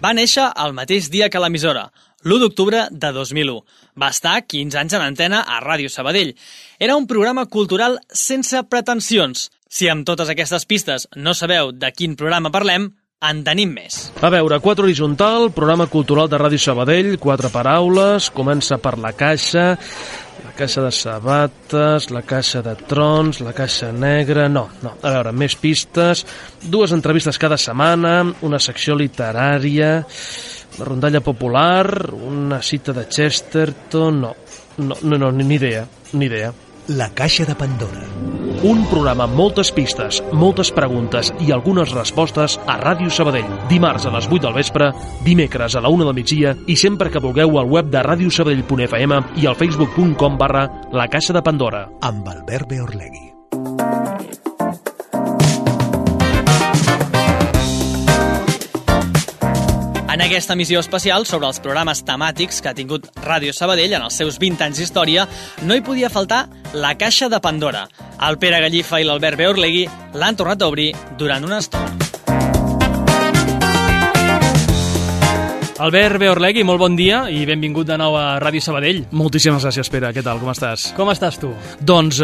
Va néixer el mateix dia que l'emissora, l'1 d'octubre de 2001. Va estar 15 anys en antena a Ràdio Sabadell. Era un programa cultural sense pretensions. Si amb totes aquestes pistes no sabeu de quin programa parlem, en tenim més. A veure, 4 horitzontal, programa cultural de Ràdio Sabadell, 4 paraules, comença per la caixa de sabates, la caixa de trons, la caixa negra... No. A veure, més pistes, 2 entrevistes cada setmana, una secció literària, la rondalla popular, una cita de Chesterton... No, ni idea. La caixa de Pandora. Un programa amb moltes pistes, moltes preguntes i algunes respostes a Ràdio Sabadell. Dimarts a les 8 del vespre, dimecres a la 1 del migdia i sempre que vulgueu al web de radiosabadell.fm i al facebook.com/La Caixa de Pandora. Amb Albert Beorlegui. En aquesta emissió especial sobre els programes temàtics que ha tingut Ràdio Sabadell en els seus 20 anys d'història, no hi podia faltar la Caixa de Pandora. El Pere Gallifa i l'Albert Beorlegui l'han tornat a obrir durant una estona. Albert Beorlegui, molt bon dia i benvingut de nou a Ràdio Sabadell. Moltíssimes gràcies, Pere. Què tal? Com estàs? Com estàs tu? Doncs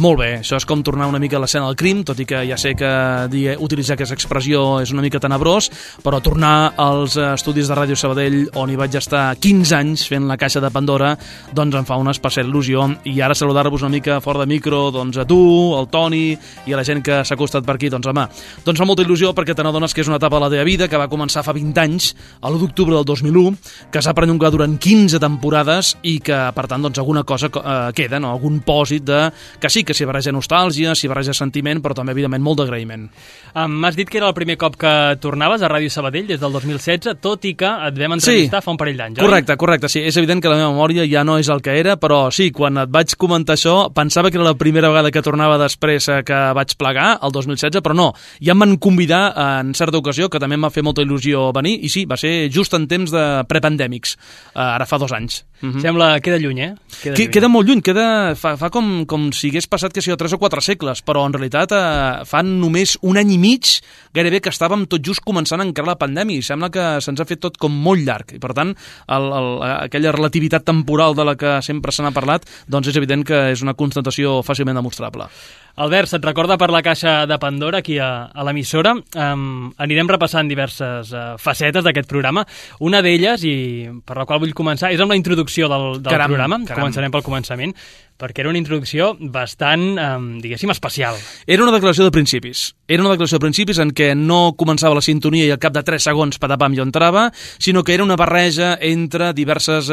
molt bé. Això és com tornar una mica a l'escena del crim, tot i que ja sé que utilitzar aquesta expressió és una mica tenebrós, però tornar als estudis de Ràdio Sabadell, on hi vaig estar 15 anys fent la Caixa de Pandora, doncs em fa una especial il·lusió. I ara saludar-vos una mica fora de micro, doncs a tu, al Toni i a la gent que s'ha acostat per aquí, doncs home, doncs fa molta il·lusió perquè te n'adones que és una etapa de la teva vida que va començar fa 20 anys, a l'1 d'octubre del 2001, que s'ha perllongat durant 15 temporades i que, per tant, doncs alguna cosa queda, no? Algun pòsit de... que sí, que s'hi barreja nostàlgia, s'hi barreja sentiment, però també, evidentment, molt d'agraïment. M'has dit que era el primer cop que tornaves a Ràdio Sabadell des del 2016, tot i que et vam entrevistar fa un parell d'anys, oi? Correcte, sí. És evident que la meva memòria ja no és el que era, però sí, quan et vaig comentar això, pensava que era la primera vegada que tornava després que vaig plegar, el 2016, però no. Ja em van convidar en certa ocasió, que també em va fer molta il·lusió venir, i sí, va ser just en temps de prepandèmics, ara fa 2 anys. Sembla, queda lluny, eh? Queda molt lluny, fa com si hagués passat que 3 o 4 segles, però en realitat fa només 1 any i mig gairebé que estàvem tot just començant a encarar la pandèmia i sembla que se'ns ha fet tot com molt llarg i per tant aquella relativitat temporal de la que sempre se n'ha parlat doncs és evident que és una constatació fàcilment demostrable. Albert, se't recorda per la Caixa de Pandora aquí a l'emissora? Anirem repassant diverses facetes d'aquest programa. Una d'elles, i per la qual vull començar, és amb la introducció del programa. Començarem pel començament, perquè era una introducció bastant, diguéssim, especial. Era una declaració de principis. Era una declaració de principis en què no començava la sintonia i al cap de 3 segons patapam jo entrava, sinó que era una barreja entre diverses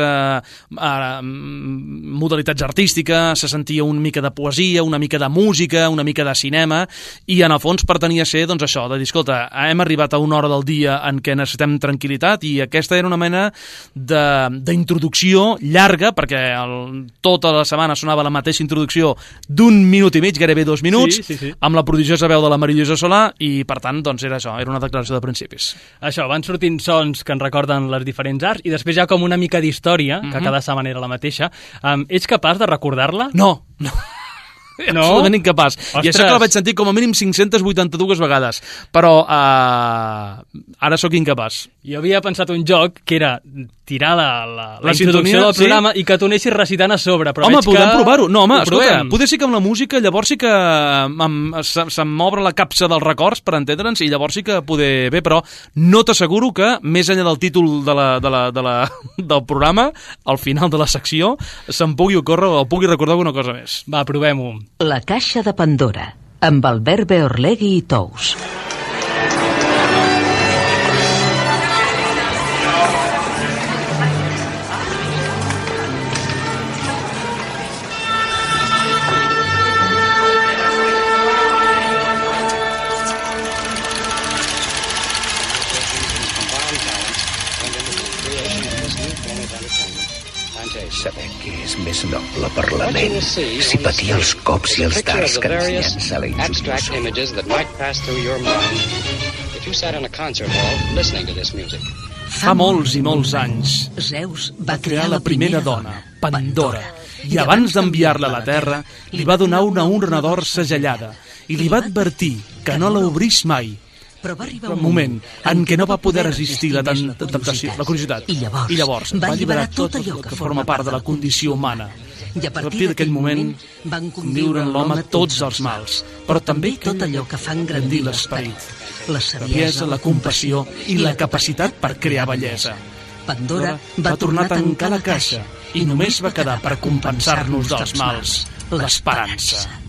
modalitats artístiques, se sentia una mica de poesia, una mica de música, una mica de cinema, i en el fons pretenia ser, doncs això, de dir, escolta, hem arribat a una hora del dia en què necessitem tranquil·litat, i aquesta era una mena d'introducció llarga, perquè tota la setmana sonava la mateixa introducció d'1 minut i mig, gairebé 2 minuts, sí. amb la prodigiosa veu de la Marillosa Solà, i per tant, doncs era això, era una declaració de principis. Això, van sortint sons que ens recorden les diferents arts, i després hi ha com una mica d'història, que cada setmana era la mateixa. Ets capaç de recordar-la? No. No? Absolutament incapaç. Ostres. I això que la vaig sentir com a mínim 582 vegades, però ara sóc incapaç. Jo havia pensat un joc que era tirar la sintonia, introducció del programa i que tu anessis recitant a sobre. Però home, podem provar-ho. No, home, escolta, provem. Poder sí que amb la música llavors sí que se'm obre la capsa dels records, per entendre'ns, i llavors sí que poder bé, però no t'asseguro que, més enllà del títol del programa, al final de la secció, se'm pugui ocórrer o pugui recordar alguna cosa més. Va, provem-ho. La Caixa de Pandora, amb Albert Beorlegui i Tous. Saber què és més noble per la ment, si patir els cops i els dards que ens llença la injuriosa. Fa molts i molts anys, Zeus va crear la primera dona, Pandora, i abans d'enviar-la a la terra, li va donar una urna d'or segellada, i li va advertir que no l'obrís mai, Però va arribar un moment en què no va poder resistir la temptació, la curiositat. I llavors va alliberar tot allò que forma part de la condició humana. I a partir d'aquell moment van conviure en l'home tots els mals, però també tot allò que fa engrandir l'esperit, la saviesa, la compassió i la capacitat per crear bellesa. Pandora va tornar a tancar la caixa i només va quedar per compensar-nos dels mals, l'esperança.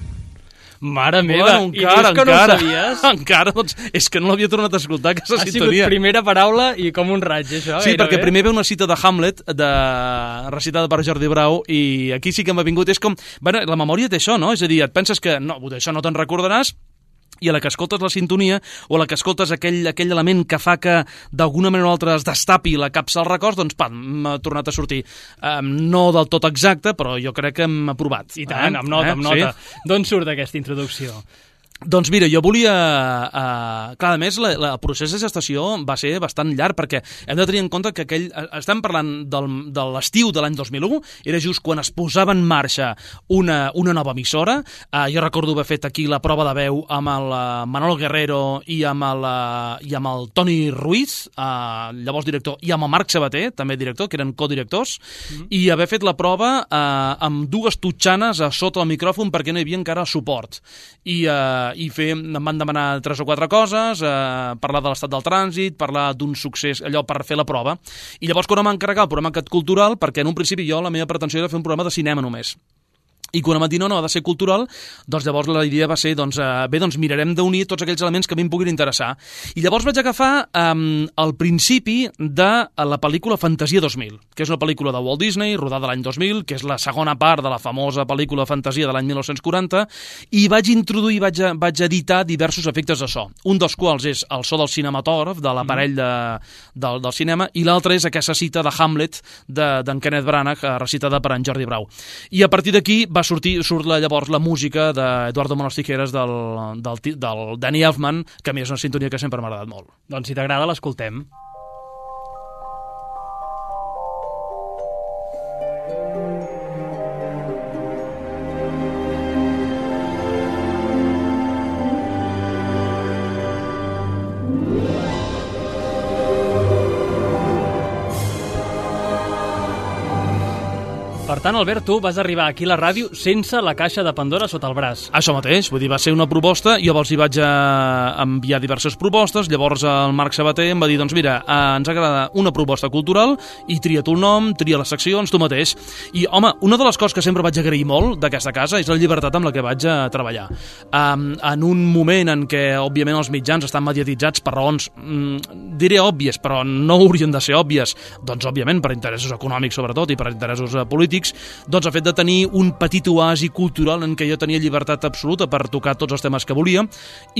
Mare meva, bueno, i dius que no ho sabies? Encara, doncs, és que no l'havia tornat a escoltar, aquesta Ha sintonia. sigut primera paraula i com un raig, això. Sí, gairebé. perquè primer ve una cita de Hamlet, recitada per Jordi Brau, i aquí sí que m'ha vingut, és com... Bueno, la memòria té això, no? És a dir, et penses que no, d'això no te'n recordaràs, i a la que escoltes la sintonia o a la que escoltes aquell element que fa que d'alguna manera o altra es destapi la capsa als records, doncs pam, m'ha tornat a sortir. No del tot exacte, però jo crec que hem aprovat. I tant, amb nota, amb nota. Sí? D'on surt aquesta introducció? Doncs mira, jo volia... clar, a més, el procés de gestació va ser bastant llarg, perquè hem de tenir en compte que estem parlant de l'estiu de l'any 2001, era just quan es posava en marxa una nova emissora. Jo recordo haver fet aquí la prova de veu amb el Manolo Guerrero i amb el Toni Ruiz, llavors director, i amb el Marc Sabater, també director, que eren codirectors, i haver fet la prova amb dues tutxanes a sota el micròfon perquè no hi havia encara suport. Em van demanar 3 o 4 coses, parlar de l'estat del trànsit, parlar d'un succés, allò per fer la prova. I llavors quan em van encarregar el programa aquest cultural, perquè en un principi la meva pretensió era fer un programa de cinema només. I quan em van dir no, ha de ser cultural, doncs llavors la idea va ser, mirarem d'unir tots aquells elements que a mi em puguin interessar. I llavors vaig agafar el principi de la pel·lícula Fantasia 2000, que és una pel·lícula de Walt Disney, rodada l'any 2000, que és la segona part de la famosa pel·lícula Fantasia de l'any 1940, i vaig introduir, vaig editar diversos efectes de so, un dels quals és el so del cinematògraf, de l'aparell del cinema, i l'altre és aquesta cita de Hamlet d'en Kenneth Branagh, recitada per en Jordi Brau. I a partir d'aquí surt llavors la música d'Eduardo Manos Tijeras del Danny Elfman, que a mi és una sintonia que sempre m'ha agradat molt. Doncs si t'agrada, l'escoltem. Per tant, Albert, tu vas arribar aquí a la ràdio sense la caixa de Pandora sota el braç. Això mateix, vull dir, va ser una proposta, jo els hi vaig enviar diverses propostes, llavors el Marc Sabater em va dir, doncs mira, ens agrada una proposta cultural i tria tu el nom, tria les seccions, tu mateix. I, home, una de les coses que sempre vaig agrair molt d'aquesta casa és la llibertat amb la que vaig treballar. En un moment en què, òbviament, els mitjans estan mediatitzats per raons, diré òbvies, però no haurien de ser òbvies, doncs, òbviament, per interessos econòmics, sobretot, i per interessos polítics, doncs el fet de tenir un petit oasi cultural en què jo tenia llibertat absoluta per tocar tots els temes que volia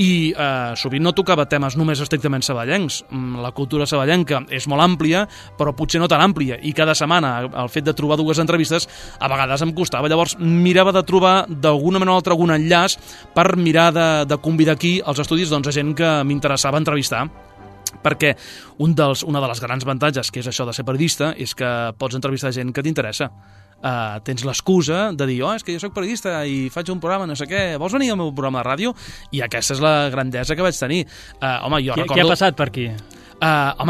i sovint no tocava temes només estrictament saballencs. La cultura saballenca és molt àmplia, però potser no tan àmplia, i cada setmana el fet de trobar dues entrevistes a vegades em costava. Llavors mirava de trobar d'alguna manera o altra algun enllaç per mirar de convidar aquí als estudis a gent que m'interessava entrevistar, perquè una de les grans avantatges que és això de ser periodista és que pots entrevistar gent que t'interessa. Tens l'excusa de dir, és que jo soc periodista i faig un programa, no sé què, vols venir al meu programa de ràdio? I aquesta és la grandesa que vaig tenir. Què ha passat per aquí? Ara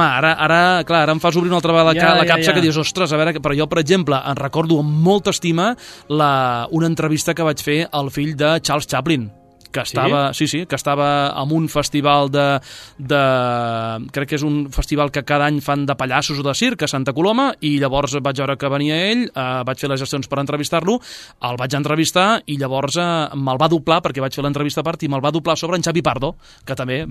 em fas obrir una altra vegada la capsa que dius, ostres, a veure, però jo, per exemple, em recordo amb molta estima una entrevista que vaig fer al fill de Charles Chaplin, que estava, que estava en un festival crec que és un festival que cada any fan de pallassos o de circ a Santa Coloma, i llavors vaig veure que venia ell, vaig fer les gestions per entrevistar-lo, el vaig entrevistar i llavors me'l va doblar, perquè vaig fer l'entrevista a part i me'l va doblar sobre en Xavi Pardo, que també,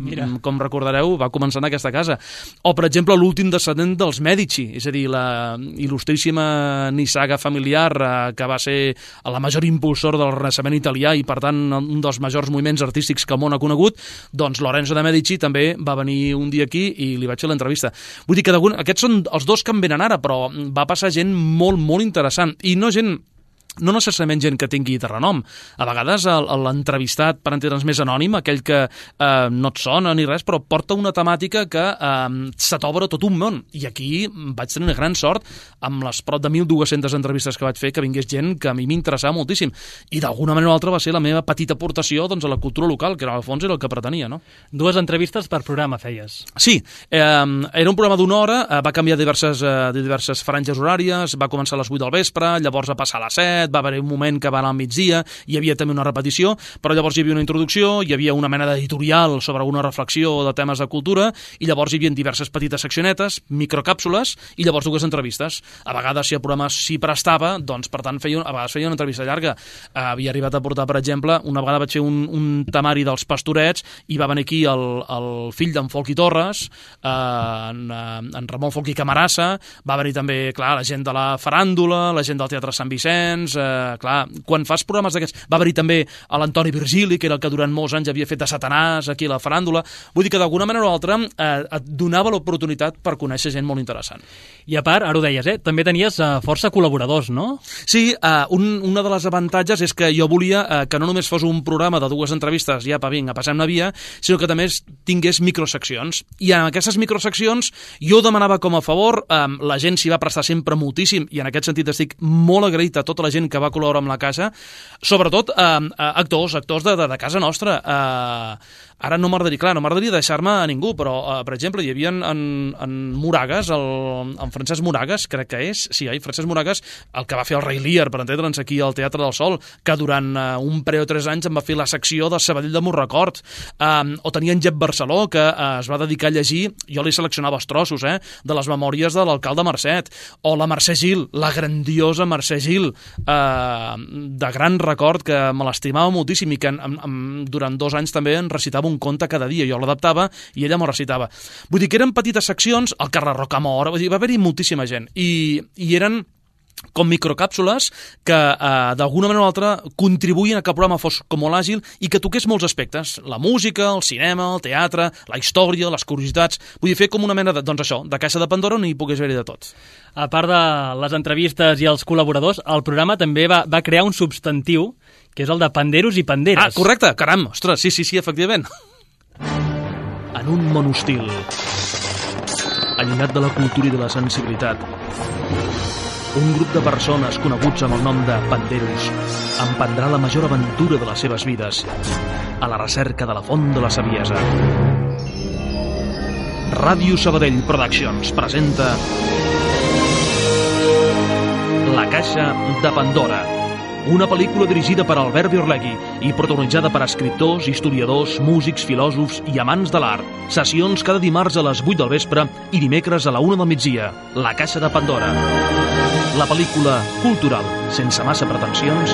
com recordareu, va començar en aquesta casa. O, per exemple, l'últim descendent dels Medici, és a dir, la il·lustríssima nissaga familiar que va ser la major impulsora del Renaixement italià i, per tant, un dels majors moviments artístics que el món ha conegut, doncs Lorenzo de Medici també va venir un dia aquí i li vaig fer l'entrevista. Vull dir que aquests són els dos que em venen ara, però va passar gent molt, molt interessant, i no gent no necessàriament gent que tingui de renom. A vegades l'entrevistat, per entendre'ns més anònim, aquell que no et sona ni res, però porta una temàtica que se t'obre tot un món. I aquí vaig tenir una gran sort amb les prop de 1.200 entrevistes que vaig fer, que vingués gent que a mi m'interessava moltíssim. I d'alguna manera o altra va ser la meva petita aportació doncs, a la cultura local, que al fons era el que pretenia. No? 2 entrevistes per programa feies. Sí, era un programa d'1 hora, va canviar diverses franges horàries, va començar a les 8 del vespre, llavors va passar a les 7, va haver un moment que va anar al migdia, hi havia també una repetició, però llavors hi havia una introducció, hi havia una mena d'editorial sobre alguna reflexió de temes de cultura, i llavors hi havia diverses petites seccionetes, microcàpsules, i llavors 2 entrevistes. A vegades, si el programa s'hi prestava, doncs, per tant, a vegades feia una entrevista llarga. Havia arribat a portar, per exemple, una vegada vaig fer un temari dels Pastorets, i va venir aquí el fill d'en Folchi Torres, en Ramon Folchi Camarasa, va venir també, clar, la gent de la faràndula, la gent del Teatre Sant Vicenç, clar, quan fas programes d'aquests, va haver-hi també l'Antoni Virgili, que era el que durant molts anys havia fet de Satanàs aquí a la faràndula, vull dir que d'alguna manera o altra et donava l'oportunitat per conèixer gent molt interessant. I a part, ara ho deies, també tenies força col·laboradors, no? Sí, una de les avantatges és que jo volia que no només fos un programa de 2 entrevistes, ja, vinga, passem-ne via, sinó que també tingués microseccions. I en aquestes microseccions jo demanava com a favor, la gent s'hi va prestar sempre moltíssim, i en aquest sentit estic molt agraït a tota la gent que va col·laborar amb la casa, sobretot actors de casa nostra. Ara no m'agradaria deixar-me a ningú, però, per exemple, hi havia en Moragas, en Francesc Moragas, crec que és, sí, Francesc Moragas, el que va fer el Rei Lear, per entendre'ns, aquí al Teatre del Sol, que durant un parell o 3 anys em va fer la secció de Sabadell de Morrecord. O tenia en Jep Barceló, que es va dedicar a llegir, jo li seleccionava els trossos, de les memòries de l'alcalde Marcet, o la Mercè Gil, la grandiosa Mercè Gil, de gran record, que me l'estimava moltíssim i que durant 2 anys també en recitava un conte cada dia, jo l'adaptava i ella m'ho recitava. Vull dir que eren petites seccions, el Carles Rocamora, va haver-hi moltíssima gent i eren com microcàpsules que d'alguna manera o altra contribuïen a que el programa fos com molt àgil i que toqués molts aspectes, la música, el cinema, el teatre, la història, les curiositats, vull dir, fer com una mena de, doncs això, de caixa de Pandora on hi pogués haver-hi de tot. A part de les entrevistes i els col·laboradors, el programa també va crear un substantiu que és el de panderos i panderes. Ah, correcte, caram, ostres, sí, efectivament. En un món hostil, allunyat de la cultura i de la sensibilitat, un grup de persones coneguts amb el nom de panderos emprendrà la major aventura de les seves vides a la recerca de la font de la saviesa. Ràdio Sabadell Productions presenta La Caixa de Pandora, una pel·lícula dirigida per Albert Biorlegui i protagonitzada per escriptors, historiadors, músics, filòsofs i amants de l'art. Sessions cada dimarts a les 8 del vespre i dimecres a la 1 del migdia. La Caixa de Pandora. La pel·lícula cultural, sense massa pretensions,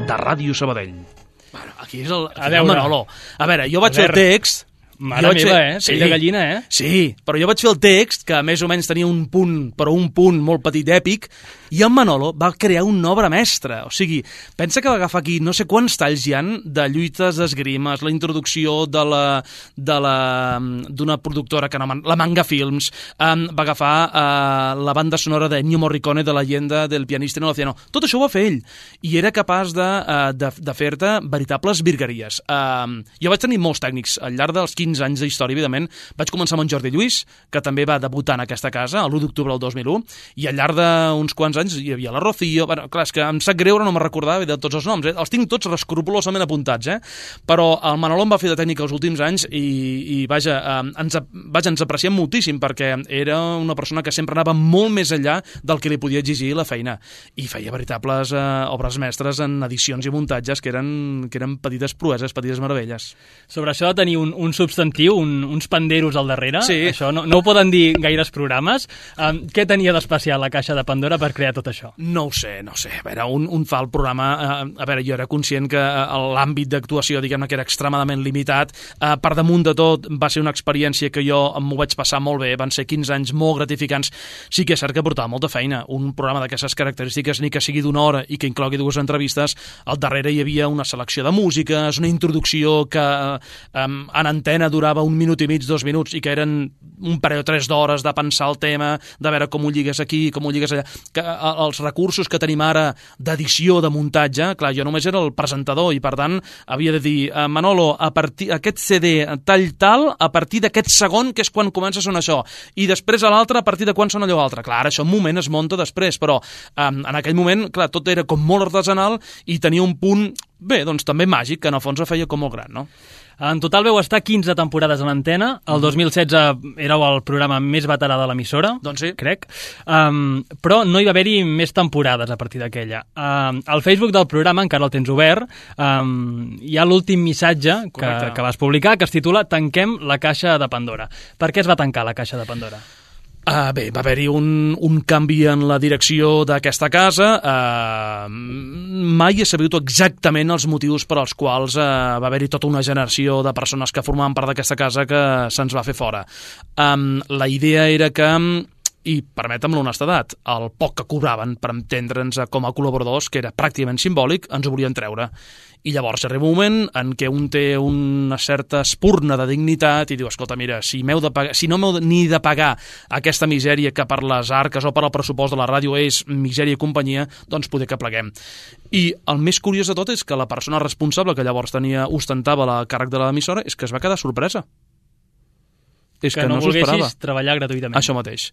de Ràdio Sabadell. Bueno, aquí és el Manolo. A veure, jo vaig fer el text... Mare meva, pell de gallina, Sí, però jo vaig fer el text, que més o menys tenia un punt, però un punt molt petit èpic, i en Manolo va crear una obra mestra. O sigui, pensa que va agafar aquí no sé quants talls hi ha de lluites d'esgrimes, la introducció d'una productora, que la Manga Films, va agafar la banda sonora de Ennio Morricone de la leyenda del pianista en l'oceano. Tot això ho va fer ell, i era capaç de fer-te veritables virgueries. Jo vaig tenir molts tècnics al llarg dels 15 anys d'història, evidentment. Vaig començar amb en Jordi Lluís, que també va debutar en aquesta casa, l'1 d'octubre del 2001, i al llarg d'uns quants anys hi havia la Rocío. Bueno, clar, és que em sap greu, no me'n recordava de tots els noms. Els tinc tots escrupolosament apuntats, però el Manolo em va fer de tècnic els últims anys i vaja, ens apreciem moltíssim, perquè era una persona que sempre anava molt més enllà del que li podia exigir la feina, i feia veritables obres mestres en edicions i muntatges que eren petites proeses, petites meravelles. Sobre això de tenir un substantiu, uns panderos al darrere, sí. Això no ho poden dir gaires programes. Què tenia d'especial la Caixa de Pandora per crear tot això? No ho sé. A veure, un fa el programa... A veure, jo era conscient que l'àmbit d'actuació, diguem-ne, que era extremadament limitat. Per damunt de tot, va ser una experiència que jo m'ho vaig passar molt bé. Van ser 15 anys molt gratificants. Sí que és cert que portava molta feina. Un programa d'aquestes característiques, ni que sigui d'1 hora i que inclogui 2 entrevistes, al darrere hi havia una selecció de músiques, una introducció que en antena durava 1 minut i mig, 2 minuts, i que eren un parell o 3 d'hores de pensar el tema, de veure com ho lligues aquí, com ho lligues allà, que els recursos que tenim ara d'edició, de muntatge, clar, jo només era el presentador i per tant havia de dir, Manolo, a partir aquest CD tal, a partir d'aquest segon, que és quan comença a sonar això, i després a l'altre, a partir de quan sona allò altre. Clar, això en un moment es munta després, però en aquell moment, clar, tot era com molt artesanal i tenia un punt, bé, doncs també màgic, que en el fons ho feia com molt gran, no? En total veu estar 15 temporades en antena. El 2016 éreu el programa més veterà de l'emissora, doncs sí, crec. Però no hi va haver-hi més temporades a partir d'aquella. Al Facebook del programa, encara el tens obert, hi ha l'últim missatge que vas publicar, que es titula Tanquem la caixa de Pandora. Per què es va tancar la caixa de Pandora? Bé, va haver-hi un canvi en la direcció d'aquesta casa. Mai he sabut exactament els motius per als quals va haver-hi tota una generació de persones que formaven part d'aquesta casa que se'ns va fer fora. La idea era que, i permetem l'honestedat, el poc que cobraven per entendre'ns com a col·laboradors, que era pràcticament simbòlic, ens ho volien treure. I llavors arriba un moment en què un té una certa espurna de dignitat i diu, escolta, mira, si no m'heu ni de pagar aquesta misèria que per les arques o per el pressupost de la ràdio és misèria i companyia, doncs poder que pleguem. I el més curiós de tot és que la persona responsable que llavors ostentava la càrrec de l'emissora és que es va quedar sorpresa. És que no volguessis treballar gratuïtament. Això mateix.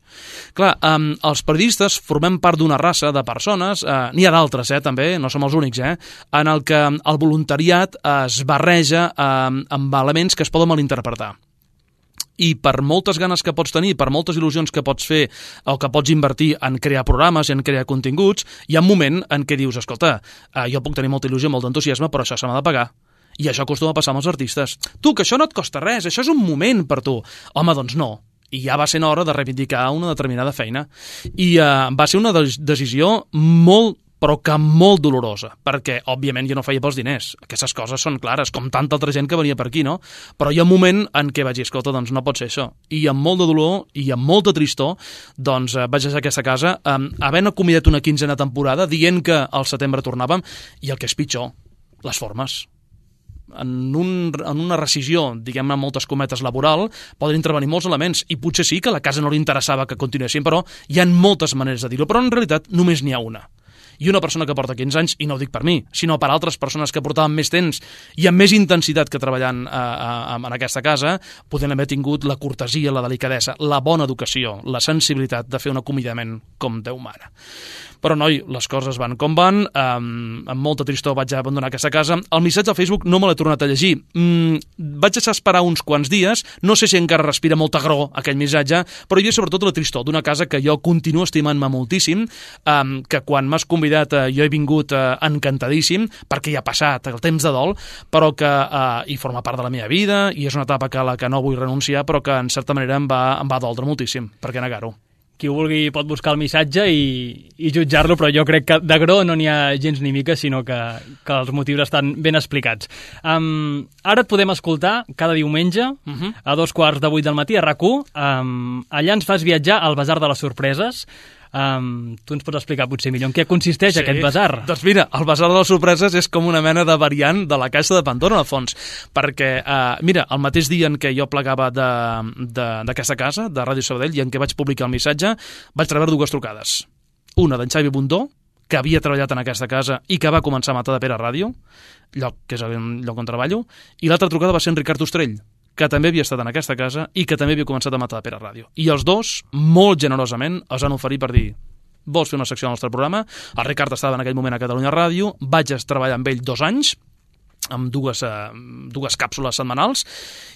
Clar, els periodistes formem part d'una raça de persones, n'hi ha d'altres, també, no som els únics, en el que el voluntariat es barreja amb elements que es poden malinterpretar. I per moltes ganes que pots tenir, per moltes il·lusions que pots fer o que pots invertir en crear programes i en crear continguts, hi ha un moment en què dius, escolta, jo puc tenir molta il·lusió, molt d'entusiasme, però això se m'ha de pagar. I això acostuma a passar amb els artistes. Tu, que això no et costa res, això és un moment per tu. Home, doncs no. I ja va ser hora de reivindicar una determinada feina. I va ser una decisió molt, però que molt dolorosa, perquè, òbviament, jo no feia pels diners. Aquestes coses són clares, com tanta altra gent que venia per aquí, no? Però hi ha un moment en què vaig dir, escolta, doncs no pot ser això. I amb molt de dolor i amb molta tristor, doncs vaig deixar aquesta casa, havent acomiadat una 15a temporada, dient que al setembre tornàvem, i el que és pitjor, les formes. En una rescisió, diguem-ne amb moltes cometes, laboral, poden intervenir molts elements, i potser sí que a la casa no li interessava que continuessin, però hi ha moltes maneres de dir-ho, però en realitat només n'hi ha una. I una persona que porta 15 anys, i no ho dic per mi, sinó per altres persones que portaven més temps i amb més intensitat que treballant en aquesta casa, podien haver tingut la cortesia, la delicadesa, la bona educació, la sensibilitat de fer un acomiadament com Déu mana. Però, noi, les coses van com van, amb molta tristor vaig abandonar aquesta casa. El missatge al Facebook no me l'he tornat a llegir. Vaig deixar esperar uns quants dies, no sé si encara respira molta agró aquell missatge, però hi havia sobretot la tristor d'una casa que jo continuo estimant-me moltíssim, que quan m'has convidat jo he vingut encantadíssim, perquè hi ha passat el temps de dol, però que hi forma part de la meva vida, i és una etapa a la que no vull renunciar, però que en certa manera em va doldre moltíssim, per què negar-ho? Qui vulgui pot buscar el missatge i jutjar-lo, però jo crec que d'agró no n'hi ha gens ni mica, sinó que els motius estan ben explicats. Ara et podem escoltar cada diumenge a 7:15 del matí a RAC1. Allà ens fas viatjar al Basar de les Sorpreses. Tu ens pots explicar potser millor en què consisteix aquest basar? Doncs mira, el Basar de les Sorpreses és com una mena de variant de la caixa de Pandora, en el fons, perquè, mira, el mateix dia en què jo plegava d'aquesta casa, de Ràdio Sabadell, i en què vaig publicar el missatge, vaig rebre 2 trucades. Una d'en Xavi Bundó, que havia treballat en aquesta casa i que va començar a Matadepera Ràdio, que és el lloc on treballo, i l'altra trucada va ser en Ricard Ostrell, que també havia estat en aquesta casa i que també havia començat a Matadepera Ràdio. I els dos, molt generosament, es van oferir per dir, vols fer una secció al nostre programa? El Ricard estava en aquell moment a Catalunya Ràdio, vaig treballar amb ell 2 anys, amb dues càpsules setmanals,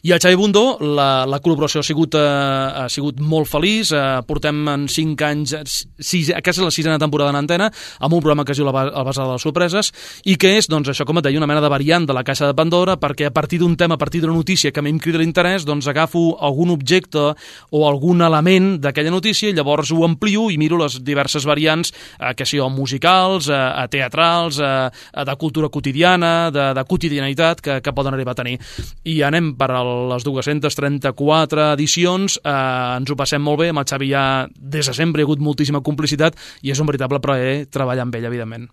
i el Xavi Bundó, la col·laboració ha sigut molt feliç. Portem en 5 anys, aquesta és la 6a temporada en antena, amb un programa que es diu El Basar de les Sorpreses, i que és, doncs, això, com et deia, una mena de variant de la caixa de Pandora, perquè a partir d'un tema, a partir d'una notícia que a mi em crida l'interès, doncs agafo algun objecte o algun element d'aquella notícia i llavors ho amplio i miro les diverses variants, que siguin musicals, teatrals, de cultura quotidiana, de quotidianitat, quotidianitat que poden arribar a tenir. I anem per a les 234 edicions, ens ho passem molt bé, amb el Xavi ja des de sempre hi ha hagut moltíssima complicitat i és un veritable plaer treballar amb ell, evidentment.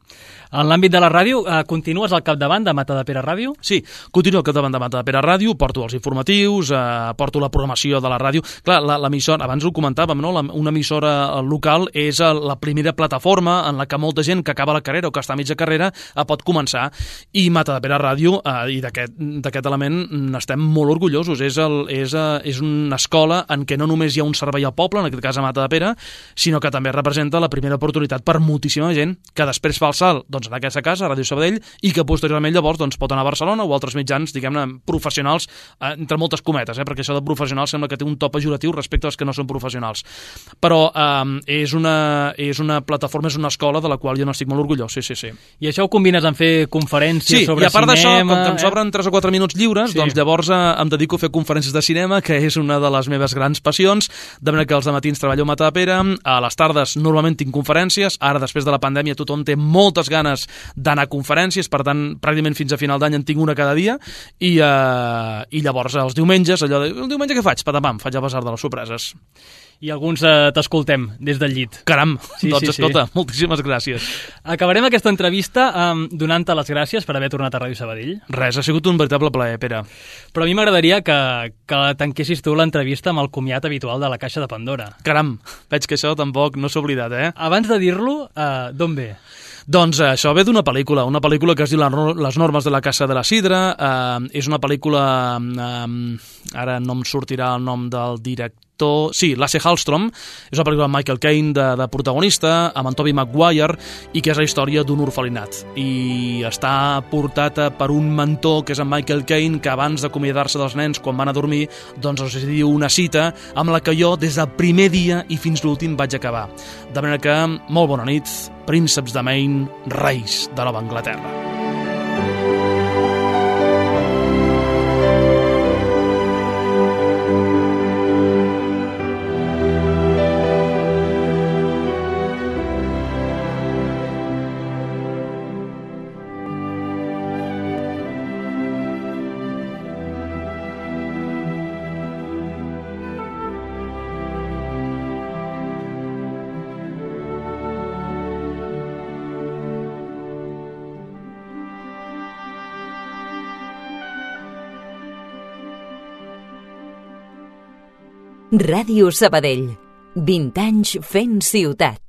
En l'àmbit de la ràdio, continues al capdavant de Matadepera Ràdio? Sí, continuo al capdavant de Matadepera Ràdio, porto els informatius, porto la programació de la ràdio. Clar, l'emissora, abans ho comentàvem, no? Una emissora local és la primera plataforma en la que molta gent que acaba la carrera o que està a mitja carrera pot començar. I Matadepera Ràdio, i d'aquest element n'estem molt orgullosos. És una escola en què no només hi ha un servei al poble, en aquest cas a Matadepera, sinó que també representa la primera oportunitat per moltíssima gent que després fa el salt en aquesta casa, a Ràdio Sabadell, i que posteriorment llavors pot anar a Barcelona o altres mitjans, diguem-ne, professionals, entre moltes cometes, perquè això de professional sembla que té un to pejoratiu respecte als que no són professionals. Però és una plataforma, és una escola de la qual jo n'estic molt orgullós, sí. I això ho combines amb fer conferències sobre cinema? Sí, i a part d'això, com que em sobren 3 o 4 minuts lliures, doncs llavors em dedico a fer conferències de cinema, que és una de les meves grans passions, de manera que els dematins treballo a Matadepera, a les tardes normalment tinc conferències, ara després de la pandèmia tothom té moltes ganes d'anar a conferències, per tant, pràcticament fins a final d'any en tinc una cada dia, i llavors els diumenges, el diumenge què faig? Patapam, faig el basar de les sorpreses. I alguns t'escoltem des del llit. Caram, escolta, moltíssimes gràcies. Acabarem aquesta entrevista donant-te les gràcies per haver tornat a Ràdio Sabadell. Res, ha sigut un veritable plaer, Pere. Però a mi m'agradaria que tanquessis tu l'entrevista amb el comiat habitual de la Caixa de Pandora. Caram, veig que això tampoc no s'ha oblidat, Abans de dir-lo, d'on ve? Doncs això ve d'una pel·lícula que es diu Les normes de la Casa de la Sidra. És una pel·lícula, ara no em sortirà el nom del director, sí, Lasse Hallström, és una pel·lícula amb Michael Caine de protagonista, amb en Tobey Maguire, i que és la història d'un orfelinat. I està portada per un mentor, que és en Michael Caine, que abans d'acomiadar-se dels nens quan van a dormir, doncs els diu una cita amb la que jo des del primer dia i fins l'últim vaig acabar. De manera que, molt bona nit, prínceps de Maine, reis de Nova Anglaterra. Ràdio Sabadell, 20 anys fent ciutat.